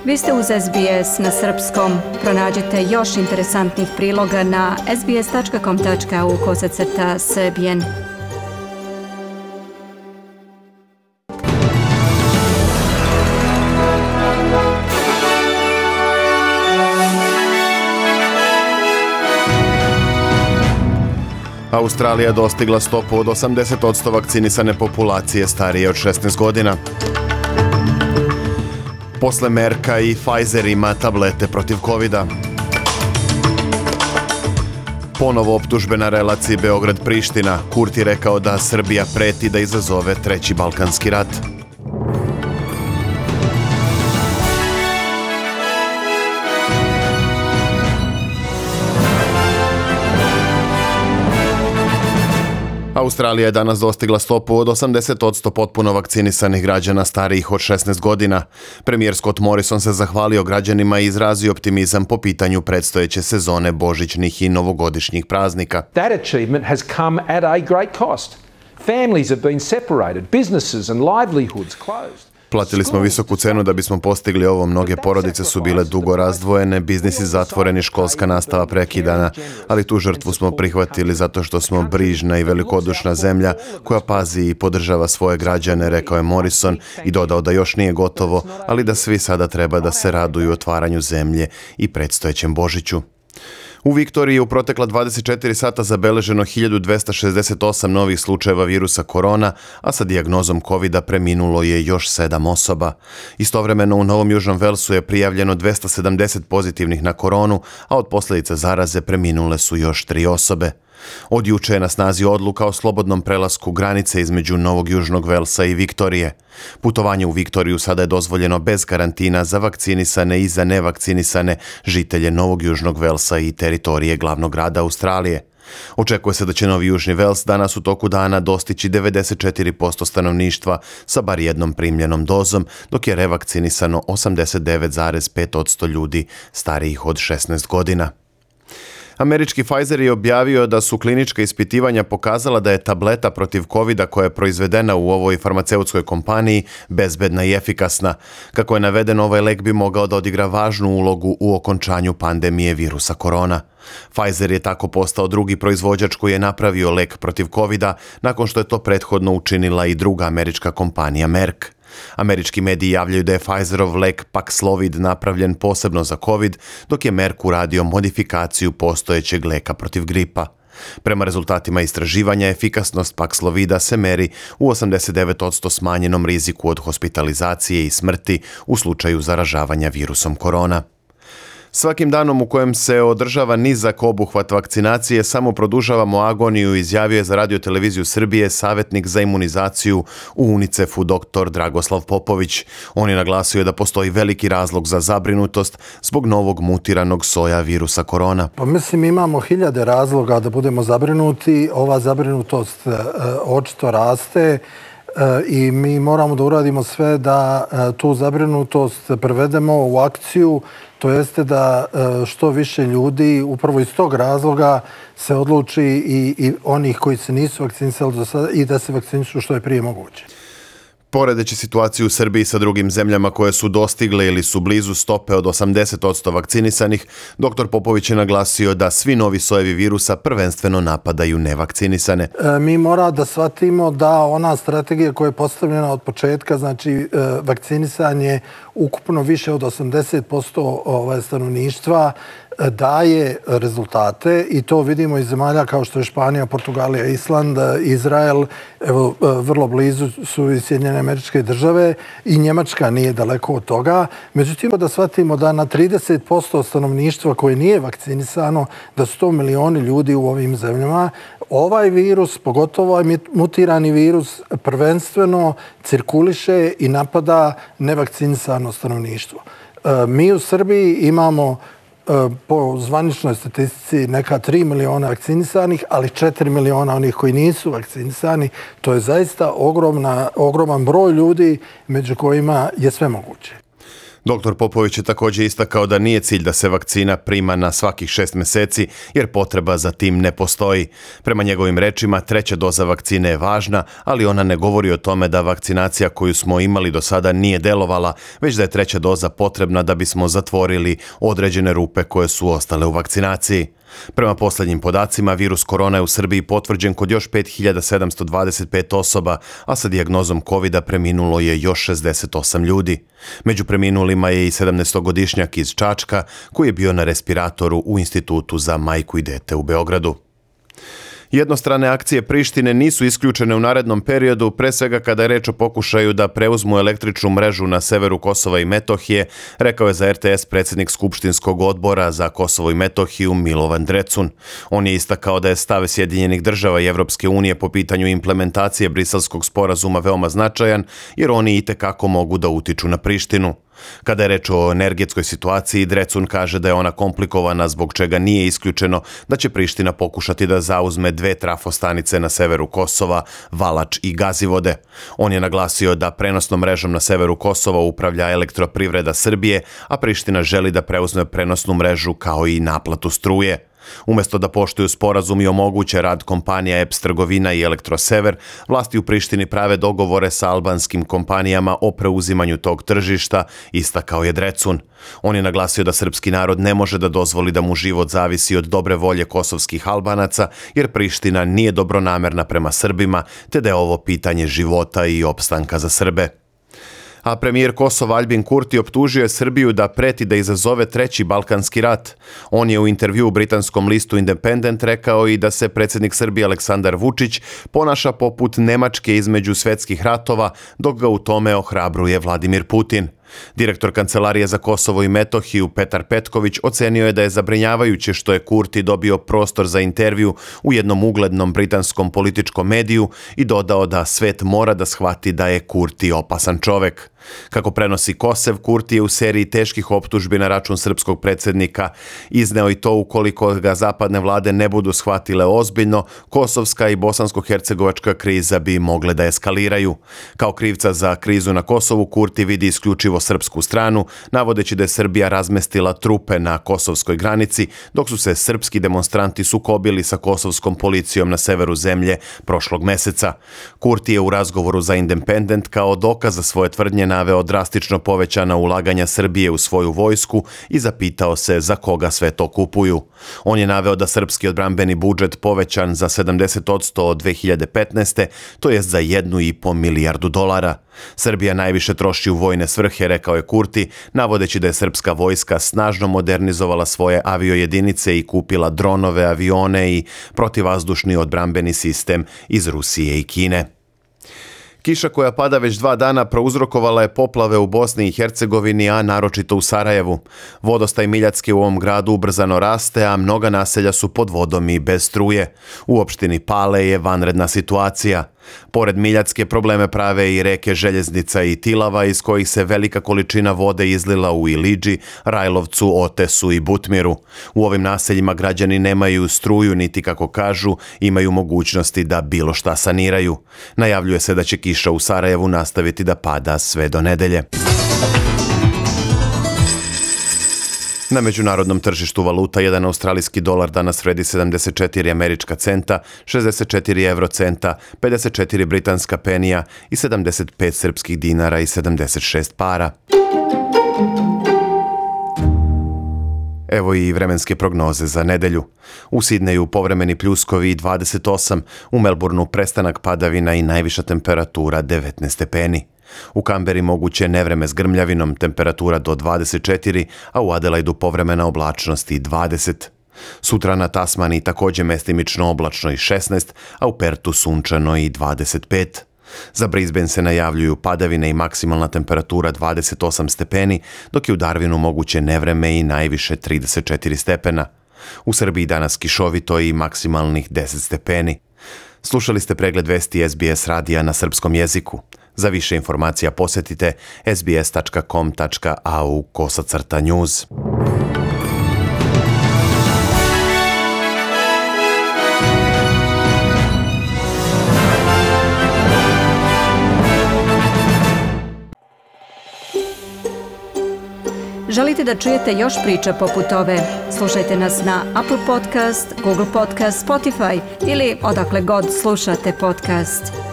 Vi ste uz SBS na srpskom. Pronađite još interesantnih priloga na sbs.com.au/srbijen. Australija dostigla stopu od 80% vakcinisane populacije starije od 16 godina. Posle Merka i Pfizer ima tablete protiv covida. Ponovo optužbe na relaciji Beograd-Priština. Kurti rekao da Srbija preti da izazove treći balkanski rat. Australija je danas dostigla stopu od 80% potpuno vakcinisanih građana starijih od 16 godina. Premijer Scott Morrison se zahvalio građanima i izrazio optimizam po pitanju predstojeće sezone božićnih i novogodišnjih praznika. That achievement has come at a great cost. Families have been separated, businesses and livelihoods closed. Platili smo visoku cenu da bismo postigli ovo. Mnoge porodice su bile dugo razdvojene, biznisi zatvoreni, školska nastava prekidana, ali tu žrtvu smo prihvatili zato što smo brižna i velikodušna zemlja koja pazi i podržava svoje građane, rekao je Morrison i dodao da još nije gotovo, ali da svi sada treba da se raduju otvaranju zemlje i predstojećem Božiću. U Viktoriji je u protekla 24 sata zabeleženo 1268 novih slučajeva virusa korona, a sa dijagnozom covida preminulo je još 7 osoba. Istovremeno u Novom Južnom Velsu je prijavljeno 270 pozitivnih na koronu, a od posljedica zaraze preminule su još 3 osobe. Od juče je na snazi odluka o slobodnom prelasku granice između Novog Južnog Velsa i Viktorije. Putovanje u Viktoriju sada je dozvoljeno bez karantina za vakcinisane i za nevakcinisane žitelje Novog Južnog Velsa i teritorije glavnog grada Australije. Očekuje se da će Novi Južni Vels danas u toku dana dostići 94% stanovništva sa bar jednom primljenom dozom, dok je revakcinisano 89,5% ljudi starijih od 16 godina. Američki Pfizer je objavio da su klinička ispitivanja pokazala da je tableta protiv covida koja je proizvedena u ovoj farmaceutskoj kompaniji bezbedna i efikasna. Kako je navedeno, ovaj lek bi mogao da odigra važnu ulogu u okončanju pandemije virusa korona. Pfizer je tako postao drugi proizvođač koji je napravio lek protiv covida nakon što je to prethodno učinila i druga američka kompanija Merck. Američki mediji javljaju da je Pfizerov lek Paxlovid napravljen posebno za COVID, dok je Merck uradio modifikaciju postojećeg leka protiv gripa. Prema rezultatima istraživanja, efikasnost Paxlovida se meri u 89% smanjenom riziku od hospitalizacije i smrti u slučaju zaražavanja virusom korona. Svakim danom u kojem se održava nizak obuhvat vakcinacije samo produžavamo agoniju, izjavio je za Radio televiziju Srbije savjetnik za imunizaciju u UNICEF-u dr. Dragoslav Popović. On je naglasio da postoji veliki razlog za zabrinutost zbog novog mutiranog soja virusa korona. Pa mislim imamo hiljade razloga da budemo zabrinuti. Ova zabrinutost očito raste i mi moramo da uradimo sve da tu zabrinutost prevedemo u akciju. To jeste da što više ljudi upravo iz tog razloga se odluči i onih koji se nisu vakcinisali do sada i da se vakcinišu što je prije moguće. Poredeći situaciju u Srbiji sa drugim zemljama koje su dostigle ili su blizu stope od 80% vakcinisanih, dr. Popović je naglasio da svi novi sojevi virusa prvenstveno napadaju nevakcinisane. Mi mora da shvatimo da ona strategija koja je postavljena od početka, znači vakcinisanje ukupno više od 80% stanovništva, daje rezultate i to vidimo iz zemalja kao što je Španija, Portugalija, Island, Izrael, evo vrlo blizu su i Sjedinjene Američke Države i Njemačka nije daleko od toga. Međutim, da shvatimo da na 30% stanovništva koje nije vakcinisano, da su to milioni ljudi u ovim zemljama, ovaj virus, pogotovo ovaj mutirani virus, prvenstveno cirkuliše i napada nevakcinisano stanovništvo. Mi u Srbiji imamo po zvaničnoj statistici neka 3 miliona vakcinisanih, ali 4 miliona onih koji nisu vakcinisani. To je zaista ogroman broj ljudi među kojima je sve moguće. Dr. Popović je također istakao da nije cilj da se vakcina prima na svakih 6 mjeseci, jer potreba za tim ne postoji. Prema njegovim rečima, 3. doza vakcine je važna, ali ona ne govori o tome da vakcinacija koju smo imali do sada nije delovala, već da je 3. doza potrebna da bismo zatvorili određene rupe koje su ostale u vakcinaciji. Prema posljednjim podacima, virus korona je u Srbiji potvrđen kod još 5725 osoba, a sa dijagnozom COVID-a preminulo je još 68 ljudi. Među preminulima je i 17-godišnjak iz Čačka, koji je bio na respiratoru u Institutu za majku i dete u Beogradu. Jednostrane akcije Prištine nisu isključene u narednom periodu, pre svega kada je reč o pokušaju da preuzmu električnu mrežu na severu Kosova i Metohije, rekao je za RTS predsjednik Skupštinskog odbora za Kosovo i Metohiju Milovan Drecun. On je istakao da je stav Sjedinjenih država i Evropske unije po pitanju implementacije Briselskog sporazuma veoma značajan, jer oni itekako mogu da utiču na Prištinu. Kada je reč o energetskoj situaciji, Drecun kaže da je ona komplikovana, zbog čega nije isključeno da će Priština pokušati da zauzme 2 trafostanice na severu Kosova, Valač i Gazivode. On je naglasio da prenosnom mrežom na severu Kosova upravlja Elektroprivreda Srbije, a Priština želi da preuzme prenosnu mrežu kao i naplatu struje. Umjesto da poštuju sporazum i omoguće rad kompanija EPS Trgovina i Elektrosever, vlasti u Prištini prave dogovore sa albanskim kompanijama o preuzimanju tog tržišta, istakao je Drecun. On je naglasio da srpski narod ne može da dozvoli da mu život zavisi od dobre volje kosovskih Albanaca, jer Priština nije dobronamerna prema Srbima, te da je ovo pitanje života i opstanka za Srbe. A premijer Kosova Aljbin Kurti optužio je Srbiju da preti da izazove 3. Balkanski rat. On je u intervju u britanskom listu Independent rekao i da se predsjednik Srbije Aleksandar Vučić ponaša poput Nemačke između svjetskih ratova, dok ga u tome ohrabruje Vladimir Putin. Direktor Kancelarije za Kosovo i Metohiju Petar Petković ocenio je da je zabrinjavajuće što je Kurti dobio prostor za intervju u jednom uglednom britanskom političkom mediju i dodao da svet mora da shvati da je Kurti opasan čovek. Kako prenosi Kosev, Kurti je u seriji teških optužbi na račun srpskog predsjednika izneo i to ukoliko ga zapadne vlade ne budu shvatile ozbiljno, kosovska i bosansko-hercegovačka kriza bi mogle da eskaliraju. Kao krivca za krizu na Kosovu, Kurti vidi isključivo srpsku stranu, navodeći da je Srbija razmestila trupe na kosovskoj granici, dok su se srpski demonstranti sukobili sa kosovskom policijom na severu zemlje prošlog meseca. Kurti je u razgovoru za Independent kao dokaz za svoje tvrdnje naveo drastično povećana ulaganja Srbije u svoju vojsku i zapitao se za koga sve to kupuju. On je naveo da srpski odbrambeni budžet povećan za 70% od 2015. to jest za $1,5 milijardu. Srbija najviše troši u vojne svrhe, rekao je Kurti, navodeći da je srpska vojska snažno modernizovala svoje aviojedinice i kupila dronove, avione i protivvazdušni odbrambeni sistem iz Rusije i Kine. Kiša koja pada već 2 dana prouzrokovala je poplave u Bosni i Hercegovini, a naročito u Sarajevu. Vodostaj Miljacke u ovom gradu ubrzano raste, a mnoga naselja su pod vodom i bez struje. U opštini Pale je vanredna situacija. Pored Miljacke probleme prave i reke Željeznica i Tilava, iz kojih se velika količina vode izlila u Ilidži, Rajlovcu, Otesu i Butmiru. U ovim naseljima građani nemaju struju, niti, kako kažu, imaju mogućnosti da bilo šta saniraju. Najavljuje se da će kiša u Sarajevu nastaviti da pada sve do nedelje. Na međunarodnom tržištu valuta jedan australijski dolar danas vredi 74 američka centa, 64 eurocenta, 54 britanska penija i 75 srpskih dinara i 76 para. Evo i vremenske prognoze za nedelju. U Sidneju povremeni pljuskovi 28, u Melbourneu prestanak padavina i najviša temperatura 19 stepeni. U Kamberi moguće nevreme s grmljavinom, temperatura do 24, a u Adelaidu povremena oblačnost i 20. Sutra na Tasmaniji također mestimično oblačno i 16, a u Pertu sunčano i 25. Za Brisbane se najavljuju padavine i maksimalna temperatura 28 stepeni, dok je u Darwinu moguće nevreme i najviše 34 stepena. U Srbiji danas kišovito i maksimalnih 10 stepeni. Slušali ste pregled vesti SBS radija na srpskom jeziku. Za više informacija posjetite sbs.com.au/news. Želite da čujete još priča poput ove? Slušajte nas na Apple Podcast, Google Podcast, Spotify ili odakle god slušate podcast.